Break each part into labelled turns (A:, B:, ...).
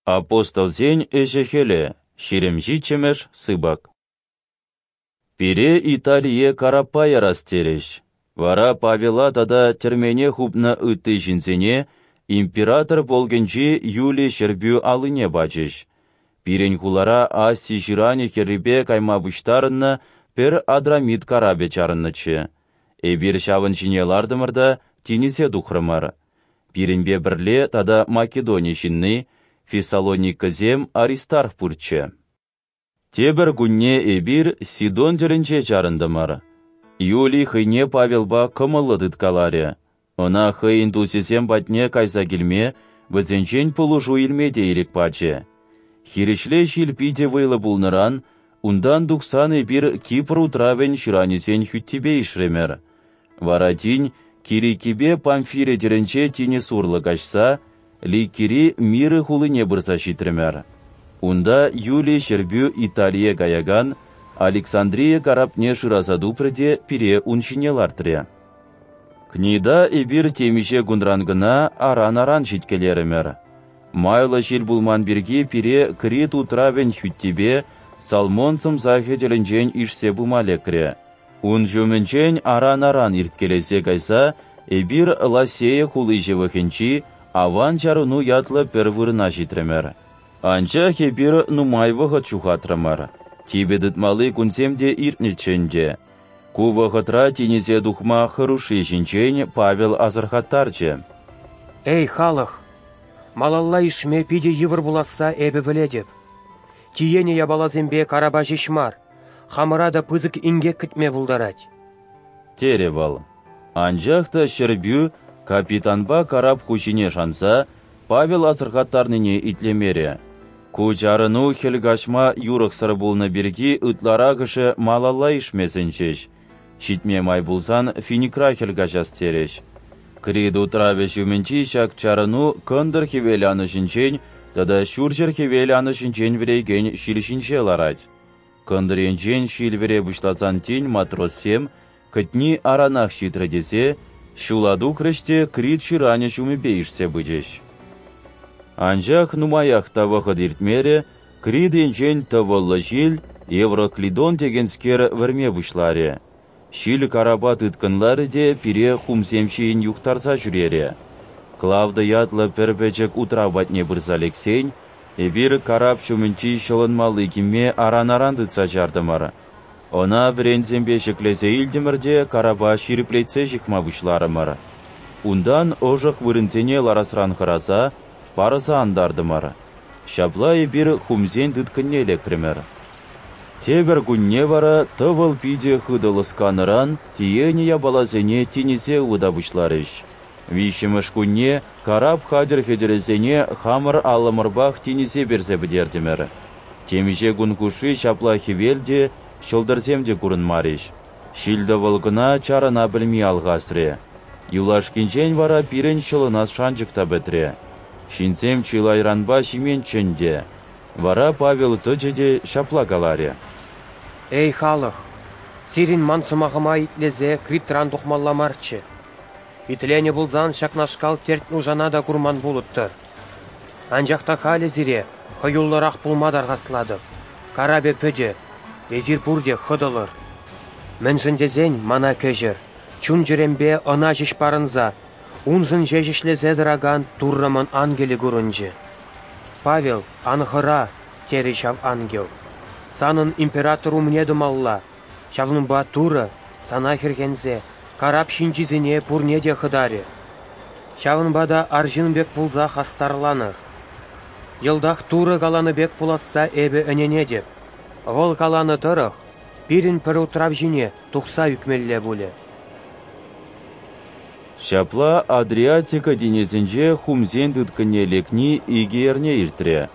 A: Апостолсен ӗҫӗ-хӗлӗ, 27-мӗш сыпӑк. Пире Италие караппа ярас терӗҫ. Вара Павела тата тӗрмене хупнӑ ытти ҫынсене император полкӗнчи Юлий ҫӗрпӳ аллине пачӗҫ. Пирӗн хулара Аси ҫыранӗ хӗррипе кайма пуҫтарӑннӑ пӗр Адрамит карапӗ чарӑннӑччӗ. Эпир ҫавӑн ҫине лартӑмӑр та тинӗсе тухрӑмӑр. Пирӗнпе пӗрле тата Македони ҫынни, Фессалоникӑсем Аристарх пурччӗ. Тепӗр кунне эпир Сидон тӗлӗнче чарӑнтӑмӑр. Юлий хӑйне Павелпа кӑмӑллӑ тыткаларӗ. Ӑна хӑйӗн тусӗсем патне кайса килме, вӗсенчен пулӑшу илме те ирӗк пачӗ. Хирӗҫле ҫил питӗ вӑйлӑ пулнӑран унтан тухсан эпир Кипр утравӗн ҫыранӗсен хӳттипе ишрӗмӗр. Вара тин Киликипе Памфири тӗлӗнче тинӗс урлӑ каҫса Ликири Миры хулине пырса ҫитрӗмӗр. Унта Юлий ҫӗрпӳ Италие каякан Александрия карапне шыраса тупрӗ те пире ун ҫине лартрӗ. Книда эпир темиҫе кунран кӑна аран-аран ҫиткелерӗмӗр. Майлӑ ҫил пулман пирки пире Крит утравӗн хӳттипе Салмон сӑмсахӗ тӗлӗнчен ишсе пыма лекрӗ. Ун ҫумӗнчен аран-аран ирткелесе кайса эпир Ласея хули ҫывӑхӗнчи Аван чарӑну ятлӑ пӗр вырӑна ҫитрӗмӗр. Анчах эпир нумай вӑхӑт ҫухатрӑмӑр. Типӗ тытмалли кунсем те иртнӗччӗ ӗнтӗ. Ку вӑхӑтра тинӗсе тухма хӑрушши ҫинчен Павел асӑрхаттарчӗ.
B: Эй, халӑх! Малалла ишме питӗ йывӑр пуласса эпӗ пӗлетӗп. Тиенӗ япаласемпе карапа ҫеҫ мар, хамӑра та пысӑк инкек кӗтме пултарать.
A: Терӗ вӑл. Анчах та ҫӗрпӳ капитанпа карап хуҫине шанса Павел асӑрхаттарнине итлемерӗ. Ку чарӑну хӗл каҫма юрӑхсӑр пулнӑ пирки ытларахӑшӗ малалла ишме сӗнчӗҫ. Ҫитме май пулсан Финикра хӗл каҫас терӗҫ. Крит утравӗ ҫумӗнчи ҫак чарӑну кӑнтӑр хӗвел анӑҫӗнчен тата ҫурҫӗр хӗвел анӑҫӗнчен вӗрекен ҫил ҫинче ларать. Кӑнтӑр енчен ҫил вӗре пуҫласан тин матроссем кӗтни аранах ҫитрӗ тесе ҫула тухрӗҫ те Крит ҫыранӗ ҫумӗпе ишсе пычӗҫ. Анчах нумаях та вӑхӑт иртмерӗ, Крит енчен тӑвӑллӑ ҫил Евроклидон текенскер вӗрме пуҫларӗ. Ҫил карапа тыткӑнларӗ те пире хумсем ҫийӗн юхтарса ҫӳрерӗ. Клавда ятлӑ пӗр пӗчӗк утрав патне пырса лексен, эпир карап ҫумӗнчи ҫӑлӑнмалли кимме аран-аран тытса чартӑмӑр. Ӑна вӗренсемпе ҫӗклесе илтӗмӗр те карапа ҫирӗплетсе ҫыхма пуҫларӑмӑр. Унтан ӑшӑх вырӑнсене ларасран хӑраса парӑса антартӑмӑр. Ҫапла эпир хумсен тыткӑнне лекрӗмӗр. Тепӗр кунне вара тӑвӑл питӗ хытӑ лӑсканӑран тиенӗ япаласене тинӗсе ывӑта пуҫларӗҫ. Виҫҫӗмӗш кунне карап хатӗр-хӗтӗрӗсене хамӑр аллӑмӑрпах тинӗсе персе пӗтертӗмӗр. Темиҫе кун хушши ҫапла хӗвел те, ҫӑлтӑрсем те курӑнмарӗҫ. Ҫил-тӑвӑл кӑна чарӑна пӗлми алхасрӗ. Юлашкинчен вара пирӗн ҫӑлӑнас шанчӑк та пӗтрӗ. Ҫынсем чылайранпа ҫименччӗ ӗнтӗ. Вара Павел тӑчӗ те ҫапла каларӗ.
B: Эй, халӑх! Сирӗн ман сӑмахӑма итлесе Критран тухмалла марччӗ. Итленӗ пулсан ҫакнашкал терт-нушана та курман пулӑттӑр. Анчах та халӗ сире хӑюллӑрах пулма тархаслатӑп. Карапӗ пӗтӗ, эсир пурте хӑтӑлӑр. Мӗншӗн тесен мана кӗҫӗр, чун-чӗремпе ӑна ҫеҫ парӑнса, уншӑн ҫеҫ ӗҫлесе тӑракан Туррӑмӑн ангелӗ курӑнчӗ. Павел, ан хӑра, терӗ ҫав ангел. Санӑн император умне тӑмалла, ҫавӑнпа Турӑ, сана хӗрхенсе, карап ҫинчисене пурне те хӑтарӗ. Ҫавӑнпа та арҫын пек пулса хастарланӑр. Йӑлтах Турӑ каланӑ пек пуласса эпӗ ӗненетӗп. Вӑл каланӑ тӑрӑх, пирӗн пӗр утрав ҫине тухса ӳкмелле пулӗ.
A: Ҫапла Адриатика тинӗсӗнче хумсен тыткӑнне лекни 2 эрне иртрӗ.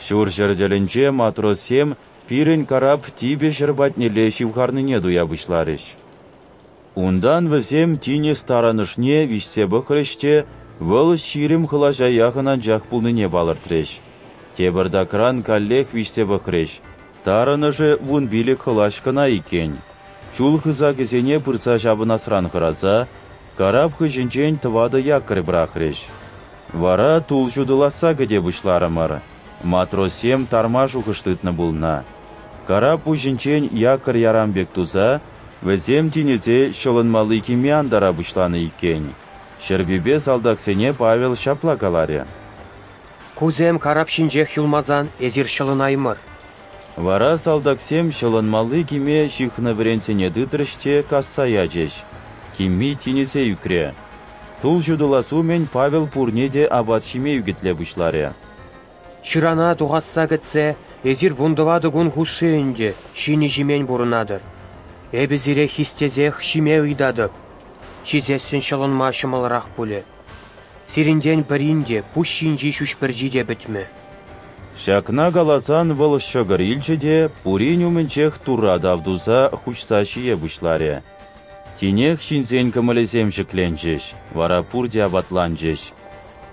A: Ҫурҫӗр тӗлӗнче матроссем пирӗн карап типӗ ҫӗр патнелле ҫывхарнине туя пуҫларӗҫ. Унтан вӗсем тинӗс тарӑнӑшне виҫсе пӑхрӗҫ те вӑл 20 хӑлаҫа яхӑн анчах пулнине палӑртрӗҫ. Тепӗртакран каллех виҫсе пӑхрӗҫ. Тарӑнӑшӗ 15 хӑлаҫ кӑна иккен. Чул хысакӗсене пырса ҫапӑнасран хӑраса, карап хыҫӗнчен 4 якорь пӑрахрӗҫ. Вара тул ҫутӑласса кӗте пуҫларӑмӑр. Матроссем тарма шухӑш тытнӑ пулнӑ. Карап пуҫӗнчен якорь ярам пек туса, вӗсем тинӗсе ҫӑлӑнмалли кимме антара пуҫланӑ иккен. Ҫӗрпӳпе салтаксене Павел ҫапла каларӗ:
B: Кусем карап ҫинчех юлмасан эсир ҫӑлӑнаймӑр.
A: Вара салтаксем ҫӑлӑнмалли киме ҫыхнӑ вӗренсене тытрӗҫ те касса ячӗҫ. Кимми тинӗсе ӳкрӗ. Тул ҫутӑлас умӗн Павел пурне те апат ҫиме ӳкӗтле пуҫларӗ.
B: Ҫырана тухасса кӗтсе эсир 14 кун хушши ӗнтӗ ҫинӗ-ҫимен пурӑнатӑр. Эпӗ сире хистесех ҫиме ыйтатӑп. Ҫисессӗн ҫӑлӑнма ҫӑмӑлрах пулӗ. Сирӗнтен пӗрин те пуҫ ҫинчи ҫӳҫ пӗрчи те пӗтмӗ.
A: Ҫакна каласан вӑл ҫӑкӑр илчӗ те пурин умӗнчех Турра тав туса хуҫса ҫие пуҫларӗ. Тинех ҫынсен кӑмӑлӗсем ҫӗкленчӗҫ, вара пурте апатланчӗҫ.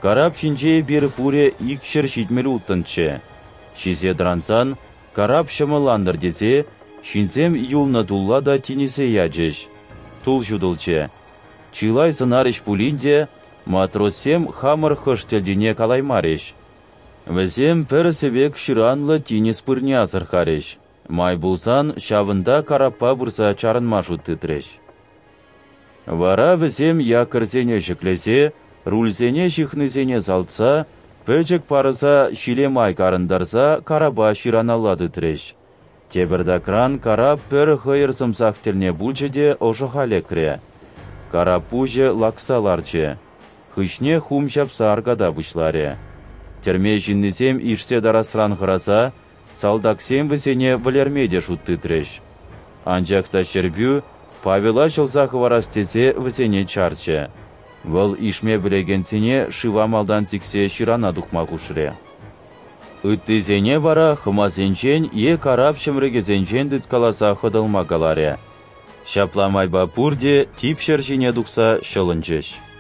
A: Карап ҫинче эпир пурӗ 276-нччӗ. Ҫисе тӑрансан карап ҫӑмӑллантӑр тесе ҫынсем юлнӑ тулла та тинӗсе ячӗҫ. Тул ҫутӑлчӗ. Чылай сӑнарӗҫ пулин те матроссем хамӑр хӑш тӗлтине калаймарӗҫ. Вӗсем пӗр сӗвек ҫыранлӑ тинӗс пырне асӑрхарӗҫ. Май пулсан ҫавӑнта караппа пырса чарӑнма шут тытрӗҫ. Вара вӗсем якорьсене ҫӗклесе, рульсене ҫыхнисене салтса, пӗчӗк парӑса ҫиле май карӑнтарса карапа ҫыраналла тытрӗҫ. Тепӗртакран карап пӗр хӑйӑр сӑмсах тӗлне пулчӗ те ӑшӑха лекрӗ. Карап пуҫӗ лакса ларчӗ. Хыҫне хум ҫапса арката пуҫларӗ. Тӗрме ҫыннисем ишсе тарасран хӑраса, салтаксем вӗсене вӗлерме те шут тытрӗҫ. Анчах та Ҫӗрпӳ Павела ҫӑлса хӑварас тесе вӗсене чарчӗ. Вӑл ишме пӗлекенсене шыва малтан сиксе ҫырана тухма хушрӗ. Ыттисене вара хӑмасенчен е карап ҫӗмрӗкӗсенчен тыткаласа хӑтӑлма каларӗ. Ҫапла майпа пурте тип ҫӗр ҫине тухса ҫӑлӑнчӗҫ.